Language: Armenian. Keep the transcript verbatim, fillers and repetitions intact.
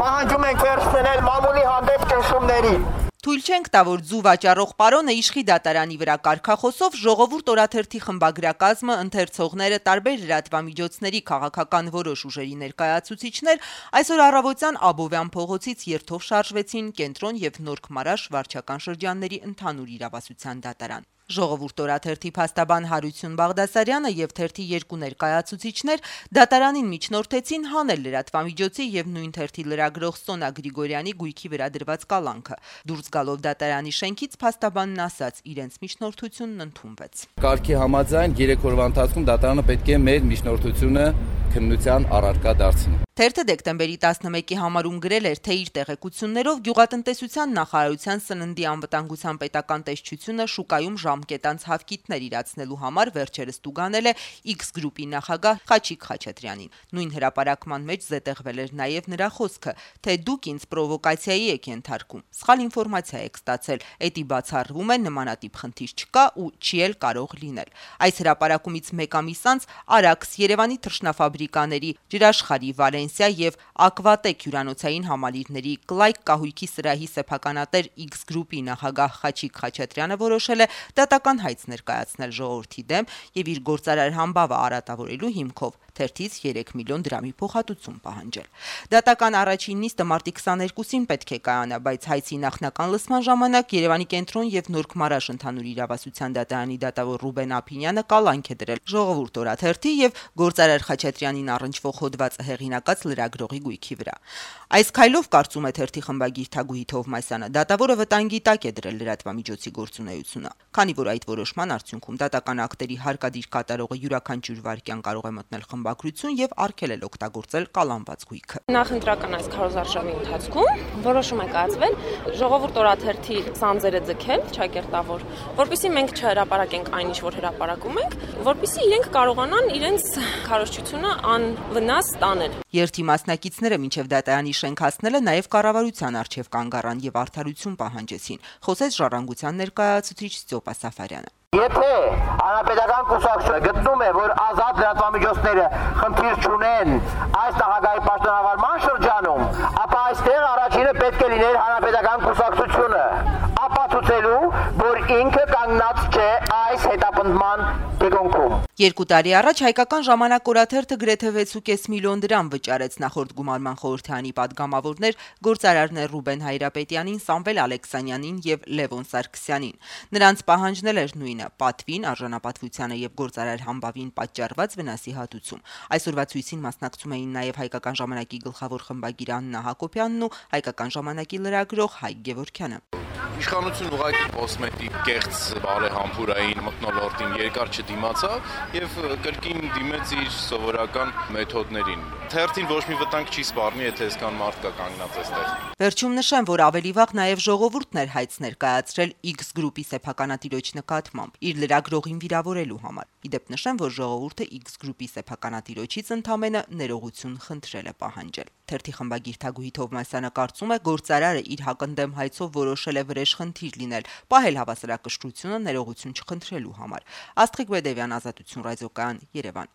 Պահանջում ենք վերջ դնել մամուլի հանդեպ ճնշումների։ Թույլ չենք տա, որ ձու վաճառող պարոնը իշխի դատարանի վրա կարգախոսով ժողովուրդ օրաթերթի խմբագրակազմը, ընթերցողները, տարբեր լրատվամիջոցների քաղաքական որոշ ուժերի ներկայացուցիչներ այսօր առավոտյան Աբովյան փողոցից երթով շարժվեցին Կենտրոն եւ Նորք Մարաշ վարչական շրջանների ընդհանուր իրավասության դատարան։ Ժողովուրդ օրաթերթի փաստաբան Հարություն Բաղդասարյանը եւ թերթի երկու ներկայացուցիչներ դատարանին միջնորդեցին հանել լրատվամիջոցի եւ նույն թերթի լրագրող Սոնա Գրիգորյանի գույքի վրա դրված կալանքը։ Դուրս գալով դատարանի շենքից փաստաբանն ասաց, իրենց միջնորդությունն ընդունվեց։ Կարգի համաձայն երեք օրվա ընթացքում դատարանը պետք է մեր միջնորդությունը քննության առարկա դարձնի։ Թերթը դեկտեմբերի տասնմեկի համարում գրել էր, թե իր տեղեկություններով գյուղատնտեսության նախարարության սննդի անվտանգության պետական տեսչությունը շուկայում ժամկետանց հավկիթներ իրացնելու համար վերջերս տուգանել է X գրուպի նախագահ Խաչիկ Խաչատրյանին։ Նույն հրապարակման մեջ զետեղվել էր նաև նրա խոսքը, թե դուք ինձ պրովոկացիայի եք ենթարկում։ Սխալ ինֆորմացիա եք ստացել, էդի բացառվում է նմանատիպ խնդիր չկա ու չի էլ կարող լինել։ Այս հրապարակումից մեկ ամիս անց Արաքս, Երևանի թռչնաֆաբրիկաների, Ջրաշխարհի, Վալենսիա եւ Ակվատեկ հյուրանոցային համալիրների Կլայք կահույքի սրահի սեփականատեր X գրուպի նախագահ Խաչիկ Խաչատրյանը որոշել է դատական հայց ներկայացնել ժողովրդի դեմ եւ իր գործարար համբավը արատավորելու հիմքով թերթից երեք միլիոն դրամի փոխհատուցում պահանջել։ Դատական առաջին նիստը մարտի քսաներկուսին պետք է կայանա, բայց հայցի նախնական լսման ժամանակ Երևանի Կենտրոն եւ Նորք Մարաշ ընդհանուր իրավասության դատարանի դատավոր Ռուբեն Ափինյանը կալանք է դրել ժողովուրդ օրաթերթի եւ գործարար Խաչատրյանին առնչվող հոդվածը հեղինակած լրագրողի գույքի վրա։ Այս քայլով, կարծում է թերթի խմբագիր Թագուհի Թովմասյանը, դատավորը վտանգի տակ է դրել լրատվամիջոցի գործունեությունը, քանի որ այդ որոշման արդյունքում դատական ակտերի հարկադիր կատարողը յուրաքանչյուր վայրկյան կարող է մտնել խմբագրություն եւ արգելել օգտագործել կալանված գույքը։ Նախընտրական այս քարոզարշավի ընթացքում որոշում է կայացվել ժողովուրդ օրաթերթի սանձերը ձգել ճակերտավոր, որպեսզի մենք չհրապարակենք այնինչ, որ հրապարակում ենք, որպեսզի իրենք կարողանան իրենց քարոզչությունը անվնաս տանել։ Երթի մասնակիցները մինչև դատարանի շենք հասնելը նաև կառավարության առջև կանգ առան եւ արդարություն պահանջեցին, խոսեց Ժառանգության ներկայացուցիչ Ստյոպա Սաֆարյանը։ Եթե հանրապետական կուսակցությունը գտնում է, որ ազատ լրատվամիջոցները խնդիր չունեն այս նախագահի պաշտոնավարման շրջանում, ապա այստեղ առաջինը պետք է լիներ հանրապետական կուսակցությունը, ապացուցելու, որ ինքը կանգնած չէ այս հետապնդման դեպքում։ Երկու տարի առաջ հայկական ժամանակ օրաթերթը գրեթե վեցուկես միլիոն դրամ վճարեց նախորդ գումարման խորհրդարանի падգամավորներ գործարարներ Ռուբեն Հայրապետյանին, Սամվել Ալեքսանյանին եւ Լևոն Սարգսյանին։ Նրանց պահանջնել էր նույնը՝ պատվին, արժանապատվությանը եւ գործարար համբավին պատճառված վնասի հատուցում։ Այսօրվա ցույցին մասնակցում էին նաեւ հայկական ժամանակի գլխավոր խմբագիր Աննա Հակոբյանն ու հայկական ժամանակի լրագրող Հայկ Գևորգյանը։ Իշխանություն ուղղակի կոսմետիկ կեղծ բարեհամբուրային մթնոլորտին երկար չդիմացավ եւ կրկին դիմեց իր սովորական մեթոդներին։ Թերթին ոչ մի վտանգ չի սպառնի, եթե այսքան մարդ կա կանգնած այստեղ։ Վերջում նշեմ, որ ավելի վաղ նաեւ ժողովուրդն էր հայց ներկայացրել X գրուպի սեփականատիրոջ նկատմամբ իր լրագրողին վիրավորելու համար։ Իդեպ նշեմ, որ ժողովուրդը X գրուպի սեփականատիրոջից ընդամենը ներողություն խնդրել է պահանջել։ Թերթի խմբագիր Թագուհի Թովմասյանը կարծում է, գործարարը իր հակընդդեմ հայցով որոշել է վրեժ խնդիր լինել, պահել հավասարակշռությունը ներողություն չխնդրելու համար։ Աստղիկ Բեդևյան, Ազատություն ռադիոկայան, Երևան։